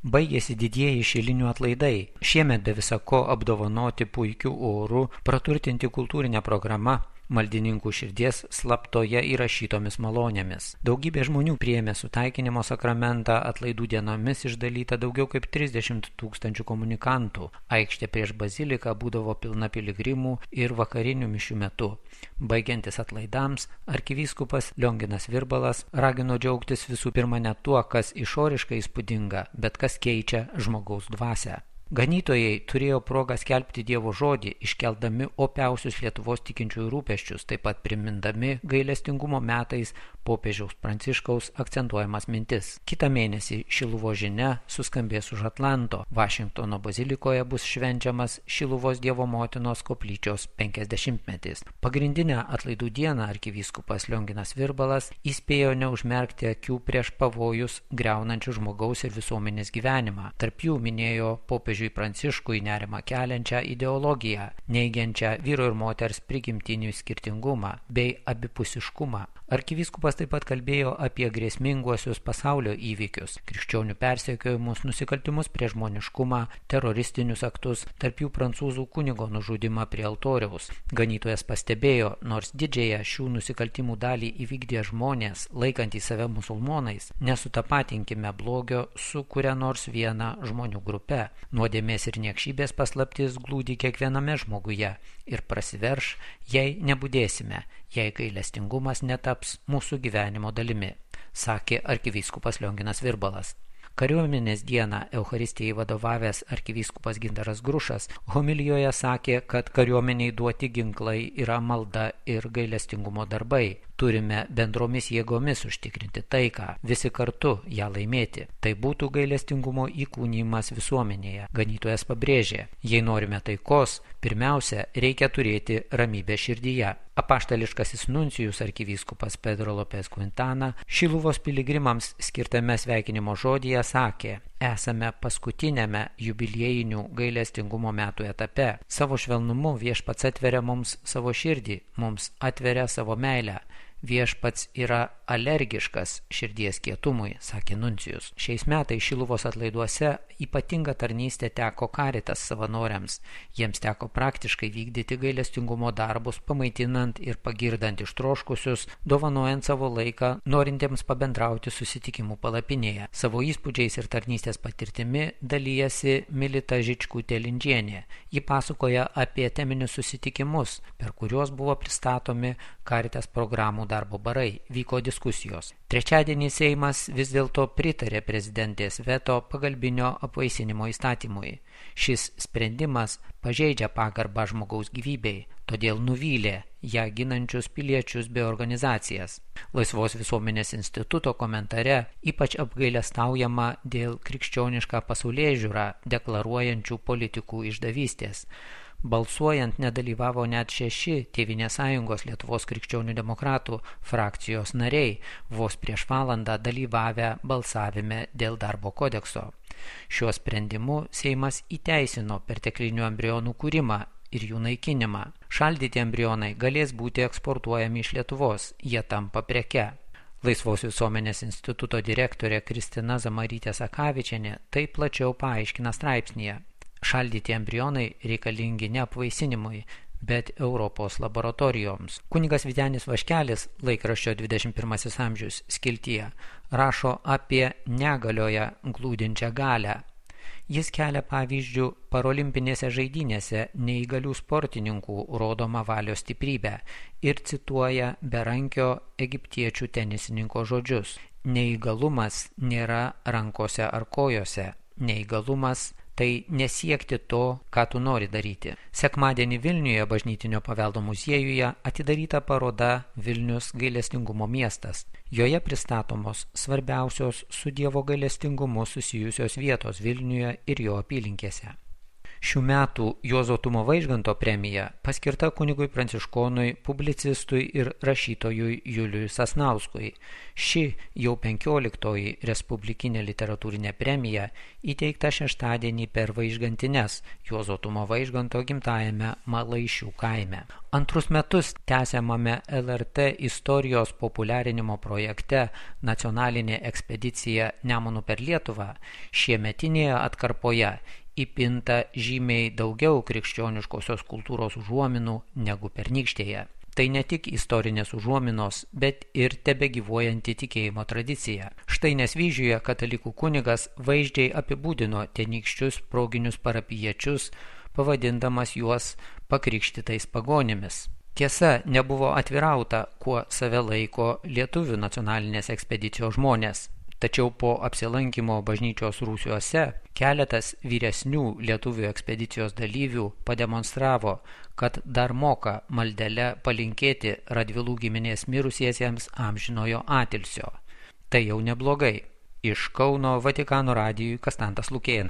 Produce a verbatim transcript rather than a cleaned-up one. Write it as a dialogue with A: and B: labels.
A: Baigėsi didieji šilinių atlaidai. Šiemet be visako apdovanoti puikiu oru, praturtinti kultūrinę programą, maldininkų širdies slaptoje įrašytomis malonėmis. Daugybė žmonių priėmė sutaikinimo sakramentą, atlaidų dienomis išdalyta daugiau kaip trisdešimt tūkstančių komunikantų. Aikštė prieš baziliką būdavo pilna piligrimų ir vakarinių mišių metu. Baigiantis atlaidams, arkivyskupas Lionginas Virbalas ragino džiaugtis visų pirma ne tuo, kas išoriškai įspūdinga, bet kas keičia žmogaus dvasią. Ganytojai turėjo progą skelbti Dievo žodį, iškeldami opiausius Lietuvos tikinčiųjų rūpesčius, taip pat primindami gailestingumo metais popiežiaus Pranciškaus akcentuojamas mintis. Kitą mėnesį Šiluvos žinia suskambės už Atlanto. Vašingtono bazilikoje bus švenčiamas Šiluvos Dievo motinos koplyčios penkiasdešimtmetis. Pagrindinę atlaidų dieną arkivyskupas Lionginas Virbalas įspėjo neužmerkti akių prieš pavojus griaunančių žmogaus ir visuomenės gyvenimą. Tarp jų minėjo popiežių Pranciškui nerimą keliančią ideologiją, neigiančią vyro ir moters prigimtinių skirtingumą bei abipusiškumą. Arkivyskupas taip pat kalbėjo apie grėsminguosius pasaulio įvykius, krikščionių persekiojimus, nusikaltimus prieš žmoniškumą, teroristinius aktus, tarp jų prancūzų kunigo nužudimą prie altoriaus. Ganytojas pastebėjo, nors didžiąją šių nusikaltimų dalį įvykdė žmonės, laikantys save musulmonais, nesutapatinkime blogio su kuria nors viena žmonių grupe. Nuodėmės ir niekšybės paslaptis glūdi kiekviename žmoguje ir prasiverš, jei nebudėsime, jei gailestingumas netaps mūsų gyvenimo dalimi, sakė arkivyskupas Lionginas Virbalas. Kariuomenės dieną Eucharistijai vadovavęs arkivyskupas Gintaras Grušas homilijoje sakė, kad kariuomeniai duoti ginklai yra malda ir gailestingumo darbai. Turime bendromis jėgomis užtikrinti taiką, visi kartu ją laimėti. Tai būtų gailestingumo įkūnijimas visuomenėje. Ganytojas pabrėžė, jei norime taikos, pirmiausia, reikia turėti ramybę širdyje. Apaštališkasis nuncijus arkivyskupas Pedro Lopez Quintana Šiluvos piligrimams skirtame sveikinimo žodyje sakė, esame paskutinėme jubiliejinių gailestingumo metų etape. Savo švelnumu viešpats atveria mums savo širdį, mums atveria savo meilę. Viešpats yra alergiškas širdies kietumui, sakė nuncijus. Šiais metais Šiluvos atlaiduose ypatinga tarnystė teko Caritas savanoriams. Jiems teko praktiškai vykdyti gailestingumo darbus, pamaitinant ir pagirdant ištroškusius, dovanojant savo laiką, norintiems pabendrauti susitikimų palapinėje. Savo įspūdžiais ir tarnystės patirtimi dalyjasi Milita Žičkutė-Lindžienė. Ji pasakoja apie teminius susitikimus, per kuriuos buvo pristatomi Caritas programų darbo barai, vyko diskusijos. Trečiadienį Seimas vis dėlto pritarė prezidentės veto pagalbinio apvaisinimo įstatymui. Šis sprendimas pažeidžia pagarbą žmogaus gyvybei, todėl nuvylė ją ginančius piliečius bei organizacijas. Laisvos visuomenės instituto komentare ypač apgailestaujama dėl krikščionišką pasaulėžiūrą deklaruojančių politikų išdavystės. Balsuojant nedalyvavo net šeši Tėvynės sąjungos Lietuvos krikščionių demokratų frakcijos nariai, vos prieš valandą dalyvavę balsavime dėl darbo kodekso. Šiuo sprendimu Seimas įteisino perteklinių embrionų kūrimą ir jų naikinimą. Šaldyti embrionai galės būti eksportuojami iš Lietuvos, jie tampa preke. Laisvos visuomenės instituto direktorė Kristina Zamarytė Sakavičienė tai plačiau paaiškina straipsnyje. Šaldyti embrionai reikalingi ne apvaisinimui, bet Europos laboratorijoms. Kunigas Vytenis Vaškelis laikraščio dvidešimt pirmasis amžius skiltyje rašo apie negalioje glūdinčią galią. Jis kelia pavyzdžių parolimpinėse žaidynėse neįgalių sportininkų rodomą valios stiprybę ir cituoja berankio egiptiečių tenisininko žodžius. Neįgalumas nėra rankose ar kojose. Neįgalumas tai nesiekti to, ką tu nori daryti. Sekmadienį Vilniuje bažnytinio paveldo muziejuje atidaryta paroda Vilnius gailestingumo miestas. Joje pristatomos svarbiausios su Dievo gailestingumu susijusios vietos Vilniuje ir jo apylinkėse. Šių metų Juozo Tumo Vaižganto premija paskirta kunigui pranciškonui, publicistui ir rašytojui Juliui Sasnauskui. Ši jau penkioliktoji respublikinė literatūrinė premija įteikta šeštadienį per Vaižgantines Juozo Tumo Vaižganto gimtajame Malaišių kaime. Antrus metus tęsiamame L R T istorijos populiarinimo projekte Nacionalinė ekspedicija Nemunu per Lietuvą šiemetinėje atkarpoje įpinta žymiai daugiau krikščioniškosios kultūros užuominų negu pernykštėje. Tai ne tik istorinės užuominos, bet ir tebegyvuojanti tikėjimo tradicija. Štai Nesvyžiuje katalikų kunigas vaizdžiai apibūdino tenykščius proginius parapijiečius, pavadindamas juos pakrikštytais pagonimis. Tiesa, nebuvo atvirauta, kuo save laiko lietuvių nacionalinės ekspedicijos žmonės. Tačiau po apsilankimo bažnyčios rūsiuose keletas vyresnių lietuvių ekspedicijos dalyvių pademonstravo, kad dar moka maldele palinkėti Radvilų giminės mirusiesiems amžinojo atilsio. Tai jau neblogai. Iš Kauno Vatikano radijui Kastantas Lukėnas.